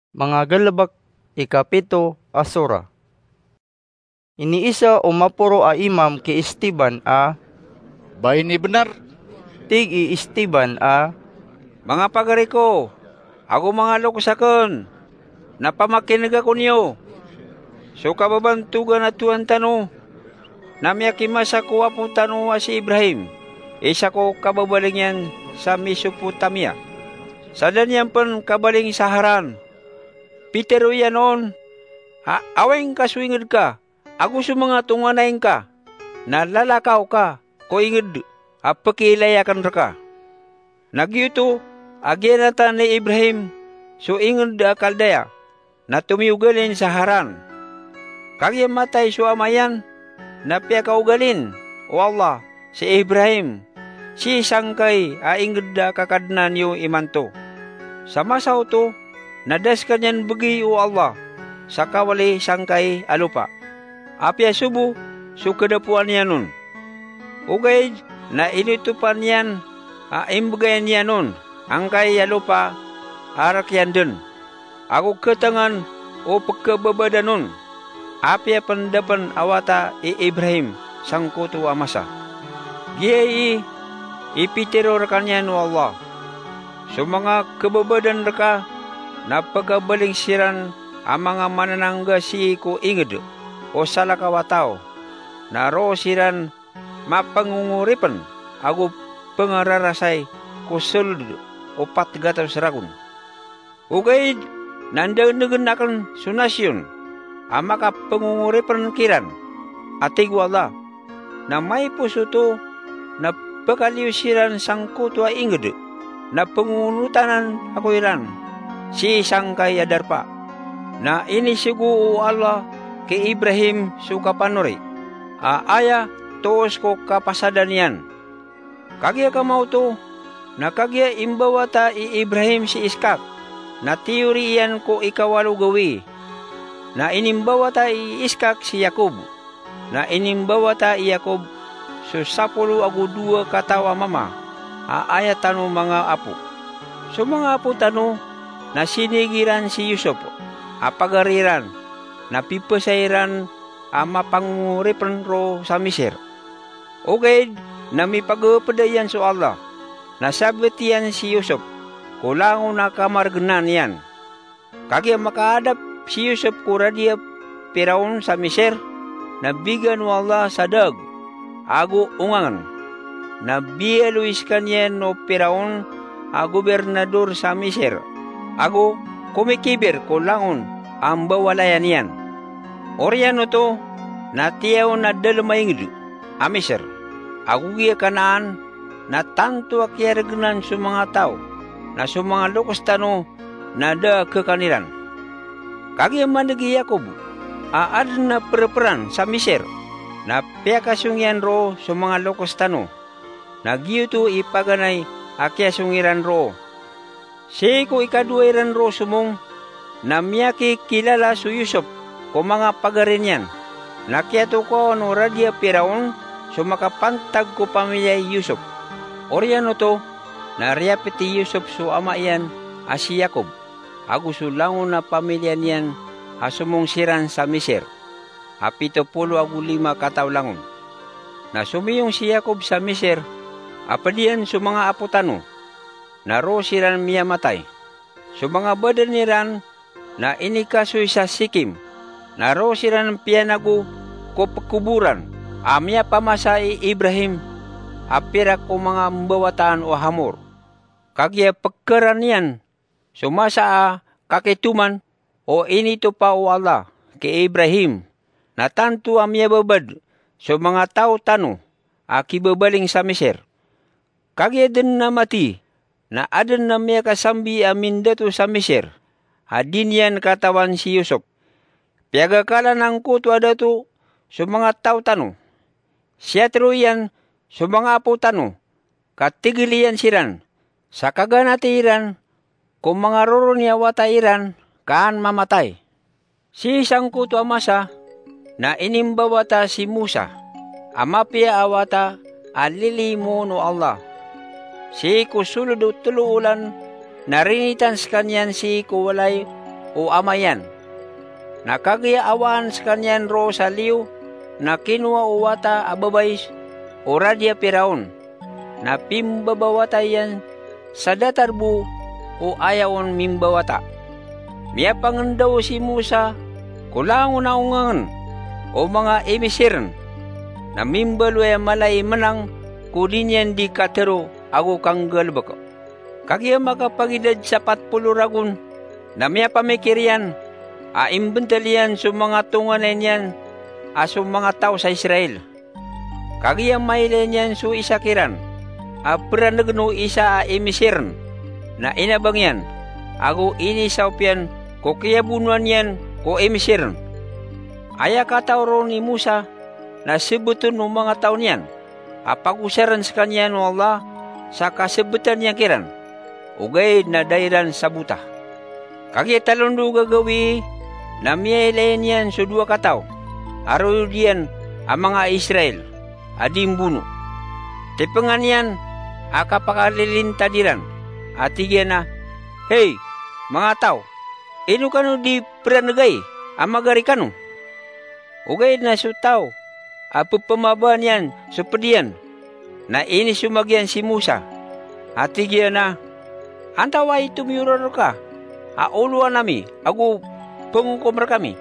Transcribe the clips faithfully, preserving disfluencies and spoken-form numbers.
Manga Galbk, ikapito a sura. Iniisa o maporo a imam ki Esteban a, "Ba ini bnar?" Tig i Esteban a, "Manga pagari ko, ago manga loks akn, na pamakin'ga ko niyo. So kababantogan a Tohan tano na miyakimasa ko apo tano a si Ibrahim, isa ko kababaling iyan sa Mesopotamia. Sa da niyan pn kabaling sa Haran. Pitharo iyan on a awing ka so ingd ka ago so manga tonganay ngka, na lalakaw ka ko ingd a pkiilay akn rka." Na giyoto a giyanatan i Ibrahim so ingd a Kaldaya, na tomiyogalin sa Haran. Kagiya matay so ama iyan, na piyakaogalin o Allah si Ibrahim sii sangkai a ingd a kakadnan iyo imanto. Sa masa oto, na da skaniyan bgi o Allah sa kawali sangkai a lopa, apiya sobo so kadapoan iyan on. Ogaid na inotopan iyan a imbgay niyan on angkai a lopa a rk iyan dn, ago ktngan o pkhababadan on, apiya pn da pn a wata i Ibrahim sangkoto a masa. Giyai i pitharo rkaniyan o Allah: "So manga khababadan rka na pkhabaling siran a manga mananangga sii ko ingd o salakaw a taw, na roo siran mapangongoripn ago pngararasay ko sold o pat gatos ragon. Ogaid na ndagnagn akn so nasyon a makapangongoripn kiran." A tig o Allah: "Na maipos oto na pkaliyo siran sangkoto a ingd, na pangonotanan ako iran sii sangkai a darpa." Na inisogo o Allah ki Ibrahim so kapanori a aya toos ko kapasadan iyan. Kagiya kamaoto, na kagiya imbawata i Ibrahim si Iskak, na tiyori iyan ko ikawalo gawii. Na inimbawata i Iskak si Yakob, na inimbawata i Yakob so sapolo ago dowa kataw a mama a aya tano manga apo. So manga apo tano na sinig iran si Yusop a pagari iran, na pipasay iran a mapangongoripn roo sa Misir. Ogaid na mipagapda iyan so Allah, na sabt iyan si Yusop ko langon a kamargnan iyan. Kagiya makaadap si Yusop ko radi a Piraon sa Misir, na bigan o Allah sa daag ago ongangn. Na biyaloy skaniyan o Piraon a gobernador sa Misir, ago komikibir ko langon a mbawalayan iyan. Oriyan oto na tiyaw na dalm a ingd a Misir, ago giya Kanaan na tanto a kiyargnan so manga taw, na so manga loks tano na da a khakan iran. Kagiya maneg i Yakob a adn a prpran sa Misir, na piyakasong iyan roo so manga loks tano, na giyoto i paganay a kiyasong iran roo. Sii ko ikadowa iran roo somong, na miyakikilala so Yusop ko manga pagari niyan, na kiyatokawan o radi a Piraon so makapantag ko pamiliya i Yusop. Oriyan oto na riyapit i Yusop so ama iyan a si Yakob, ago so langon a pamiliya niyan a somong siran sa Misir, a pito polo ago lima kataw langon. Na somiyong si Yakob sa Misir a pd iyan so manga apo tano, na roo siran miyamatay. So manga badan iran na inikasoy sa Sikim, na roo siran piyanago ko pkoboran a miyapamasa i Ibrahim a pirak o manga mbawataan o Hamor. Kagiya pkharan iyan so masa a kakitoman o initopa o Allah ki Ibrahim, na tanto a miyababad so manga taw tano a kibabaling sa Misir. Kagiya dn a mati, na adn a miyakasambi a mindato sa Misir a di niyan katawan si Yusop. Piyagakalan angkoto a dato so manga taw tano. Siyatharo iyan so manga apo tano, ka tigl iyan siran, sa kaganati iran ko manga roroni a wata iran ka an mamatay. Sii sangkoto a masa na inimbawata si Mosa a mapiya a wata a lilimoon o Allah. Sii ko solod o tlo olan na rinitan skaniyan sii ko walay o ama iyan. Na kagiya awaan skaniyan roo sa liyo, na kinowa o wata a babay o radi a Piraon, na pimbabawata iyan sa datar bo o aya on mimbawata. Miyapangndaw si Musa ko langon a ongangen o manga Imisirn, na mimbaloy a mala i menang ko di niyan di katero ago kanggalebek. Kagiya makapagidad sa pat polo ragon, na miyapamikir iyan a imbentel iyan so manga tonganay niyan a so manga taw sa Israel. Kagiya mailay niyan so isa kiran a peranegen o isa a Imisirn, na inabang iyan ago inisaop iyan ko kiyabonoan iyan ko Imisirn. Aya kataw ron i Musa na sebeten o manga taw niyan a pagosaren skaniyan o Allah sa kasebetan iyan kiran, ogaid na da iran sabota. Kagiya talon o gagawii na miyailay niyan so dowa kataw a royod iyan a manga Israel a di mbono. Tipengan iyan a kapakalilintad iran, a tig iyan a, "Hey, manga taw, ino kano di peranegay a magari kano?" Ogaid na so taw a pepemabaan iyan so ped iyan, na inisomag iyan si Musa, a tig iyan a, "Antawaa i tomiyoro reka a olowan ami ago pengokom rekami?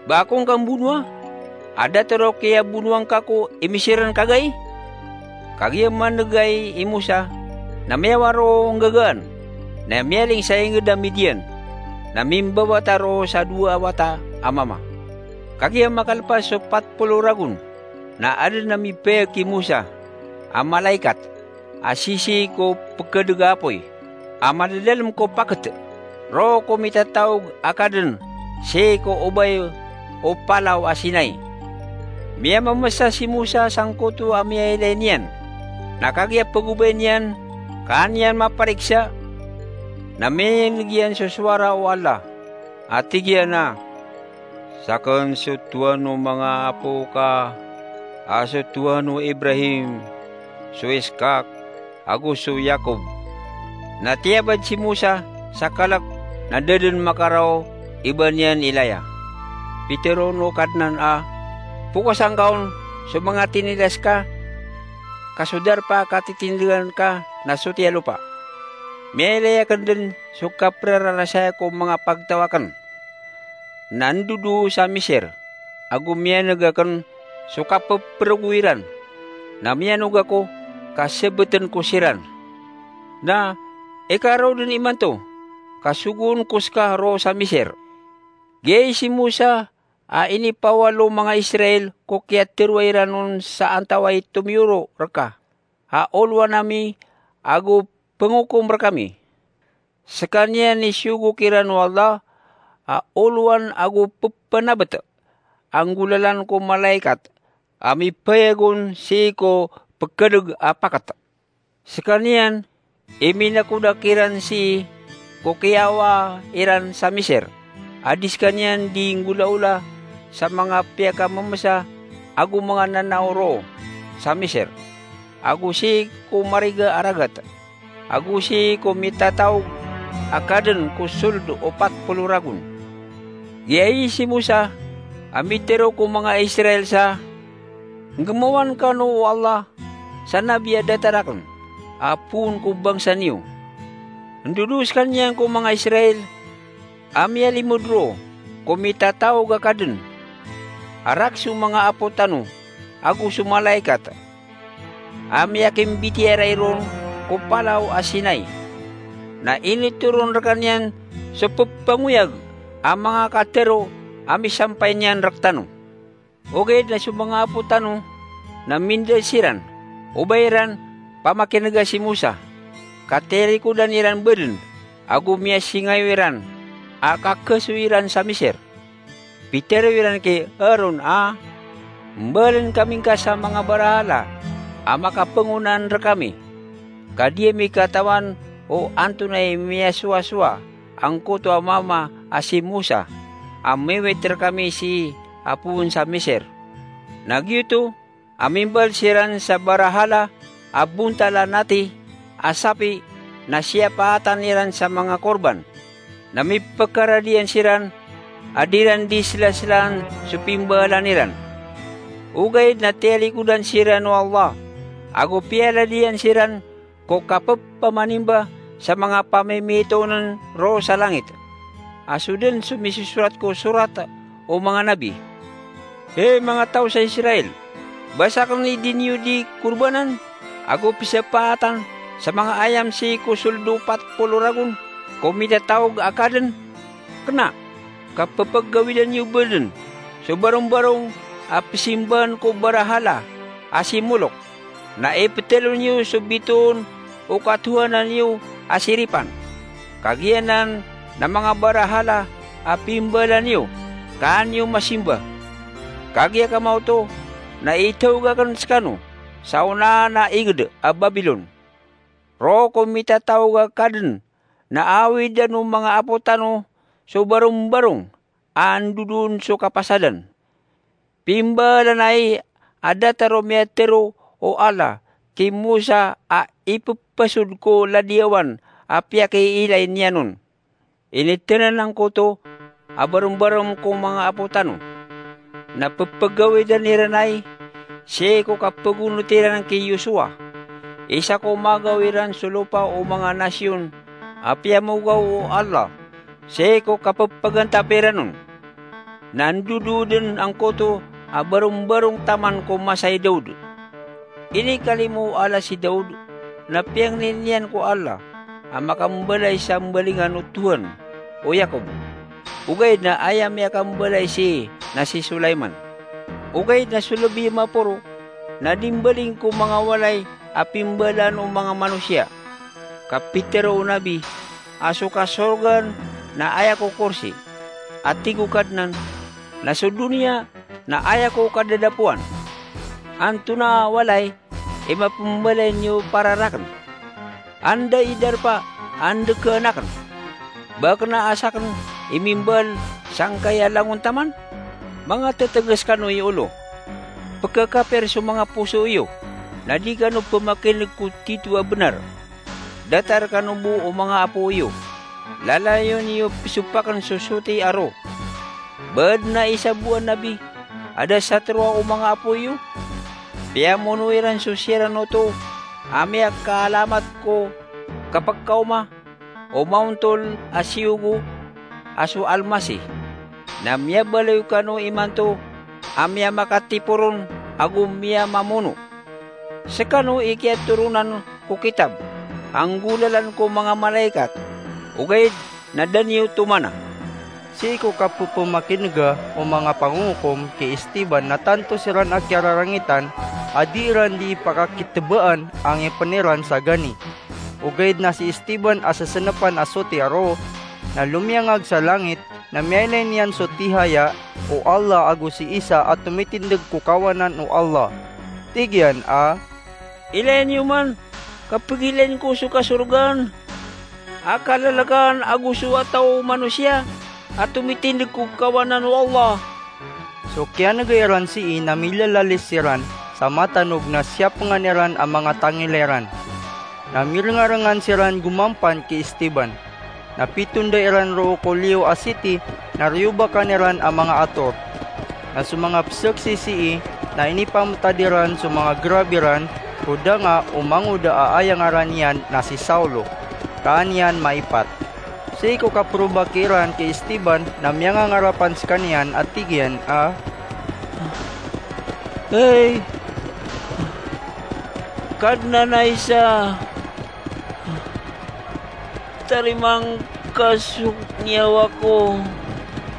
Ba ako ngka mbonoa a datar o kiyabonoa ngka ko Imisirn kagai?" Kagiya manegay i Musa, na miyawar o nggagaan, na miyaling sa inged a Midian, na mimbawata roo sa dowa a wata a mama. Kagiya makalepas so pat polo ragon, na aden a mipayag ki Musa a malaikat a sisii ko pekedeg a apoy a madadalem ko paket, roo ko mitataog a kaden sii ko obay o Palaw a Sinai. Miyamemesa si Musa sangkoto a miyailay niyan, na kagiya pegobay niyan ka an iyan mapariksa, na miyaneg iyan so sowara o Allah a tig iyan a, "Saken so Tohan o manga apo ka, a so Tohan o Ibrahim, so Iskak, ago so Yakob." Na tiyabad si Musa sa kalek na da den makarao i ba niyan ilaya. Piteroon o Kadnan a, "Pokosa ngka on so manga tinilas ka, ka so darpa a katitindegan ka na sotiya lopa. Miyailay aken den so kaperararasaya ko manga pagtaw aken. Na ndodo sa Misir, ago miyaneg aken so kapeperogo iran, na miyanog ako ka sebeten ko siran. Na ikarao den imanto ka sogoon ko seka roo sa Misir." Giyai si Musa a inipawal o manga Israel ko kiyateroa iran on sa antawaa i tomiyoro reka a olowan ami ago pengokom rekami. Sekaniyan i siyogo kiran o Allah a olowan ago pepenabet a nggolalan ko malaikat a mipayag on sii ko pekedeg a paket. Sekaniyan i minakodak iran sii ko kiyawa iran sa Misir, a di sekaniyan di nggolaola sa manga piyakamemesa ago manga nanao roo sa Misir, ago sii ko mariga a ragat, ago sii ko mitataog a kaden ko sold o pat polo ragon. Giyai si Musa a mitero ko manga Israel sa, "Nggemawan kano o Allah sa nabi a datar aken a poon ko bangsa niyo." Ndodo sekaniyan ko manga Israel a miyalimod roo ko mitataog a kaden a rak so manga apo tano ago so malaikat a miyakimbitiyarai ron ko Palaw a Sinai. Na initoron rekaniyan so pepangoyag a manga katero a misampay niyan rektano. Ogaid na so manga apo tano na minda siran, o ba iran pamakinega si Musa, ka tirikodan iran baden, ago miyasingayo iran a kakasoy iran sa Misir. Pitero iran ki Aaron a, "Mbalen kami ngka sa manga barahala a makapangonaan rekami, ka di ami katawan o antonaa i miyasowasowa angkoto a mama a si Musa, a miwit rekami sii a poon sa Misir." Na giyoto a mimbal siran sa barahala a bontal a nati a sapi na siyapaatan iran sa manga korban. Na mipkaradiyan siran a di ran di slaslaan so pimbalan iran. Ogaid na tiyalikodan siran o Allah, ago piyaladiyan siran ko kapphamanimba sa manga pamimitoon ron sa langit, a so dn so misosorat ko sorat o manga nabi. Hay manga taw sa Israel, ba sakn i di niyo di korbanan ago pzapaatan sa manga ayam sii ko sold o pat polo ragon ko mitataog a kadn? Kna ka pphagawidan iyo bdn so barongbarong a pzimbaan ko barahala a si Molok, na iptlo niyo so bitoon o katohanan iyo a si Ripan. Kagiya nan na manga barahala a pimbalan iyo, kaan iyo masimba. Kagiya kamaoto na itaog akn skano sa onaan a ingd a Babilon. Roo ko mitataog a kadn na awidan o manga apo tano so barongbarong a andodoon so kapasadan. Pimbalan ai a datar o miyatharo o Allah ki Musa a ipphasod ko ladiyawan a piyakiilay niyan on. Initanan angkoto a barongbarong ko manga apo tano, na pphagawidan iran ai sii ko kapagonot iran ki Josua, isa ko magaw iran so lopa o manga nasiyon a piyamogaw o Allah sii ko kappagantap iran on. Na andodoon dn angkoto a barongbarong taman ko masa i Daud. Inikalimo o Allah si Daud, na piyangni niyan ko Allah a makambalay sa mbalingan o Tohan o Yakob. Ogaid na aya miyakambalay sii na si Sulaiman. Ogaid na so lbi a maporo na di mbaling ko manga walay a pimbalaan o manga manosiya. Ka pitharo o nabi a so kasorgaan na aya ko korsi, a tig o Kadnan, na so doniya na aya ko kadadapoan. Antonaa a walay i mapmbalay niyo para rakn? Anda i darpa a ndkaan akn? Ba kna a sakn i mimbal sangkaya langon taman? Manga ttngas kano i olo. Pkhakapir so manga poso iyo, na di kano pmakin'g ko titho a bnar. Datar kano bo o manga apo iyo. Lalayon iyo pzopakn so soti a roo. Ba adn a isa bo a nabi a da satoroa o manga apo iyo? Piyamono iran so siran oto a miyakaalamat ko kapkaoma o maontol a siyogo a so Almasih. Na miyabaloy kano imanto a miyamakatiporon ago miyamamono. Skano i kiyatoronan ko kitab a nggolalan ko manga malaikat, ogaid na da niyo tomana. Sii ko kappmakin'ga o manga pangongokom ki Esteban na tanto siran a kiyararangitan a di iran di ipakakitbaan a ngipn iran sa gani. Ogaid na si Esteban a ssnpan a soti a roo, na lomiyangag sa langit, na miyailay niyan so tihaya o Allah ago si Isa a tomitindg ko kawanan o Allah. Tig iyan a, "Ilayn iyo man, ka pgilayn ko so kasorgaan a kalalakaan ago so wata o manosiya a tomitindg ko kawanan o Allah." So kiyan'ga iran sii na milalalis siran sa matanog na siyapngan iran a manga tangila iran. Na mirngarangan siran gomampan ki Esteban. Na pitonda iran roo ko liyo a siti na riyobakan iran a manga ator. Na so manga pzaksi sii na inipamtad iran so manga grab iran ko danga o mangoda a aya ngaran iyan na si Saulo. Kaan iyan maipat. Sii ko kaprobaki iran ki Esteban na miyangangarapan skaniyan a tig iyan a, "Hay Kadnan a isa, tarima ngka so niyawa ko."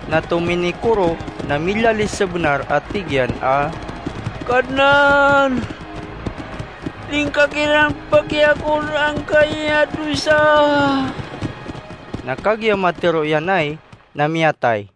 Na tominikoro na milalis sa bnar a tig iyan a, "Kadnan, lingka kiran pakiya ko angkaya dosa." Na kagiya matero iyan ai, na miyatay.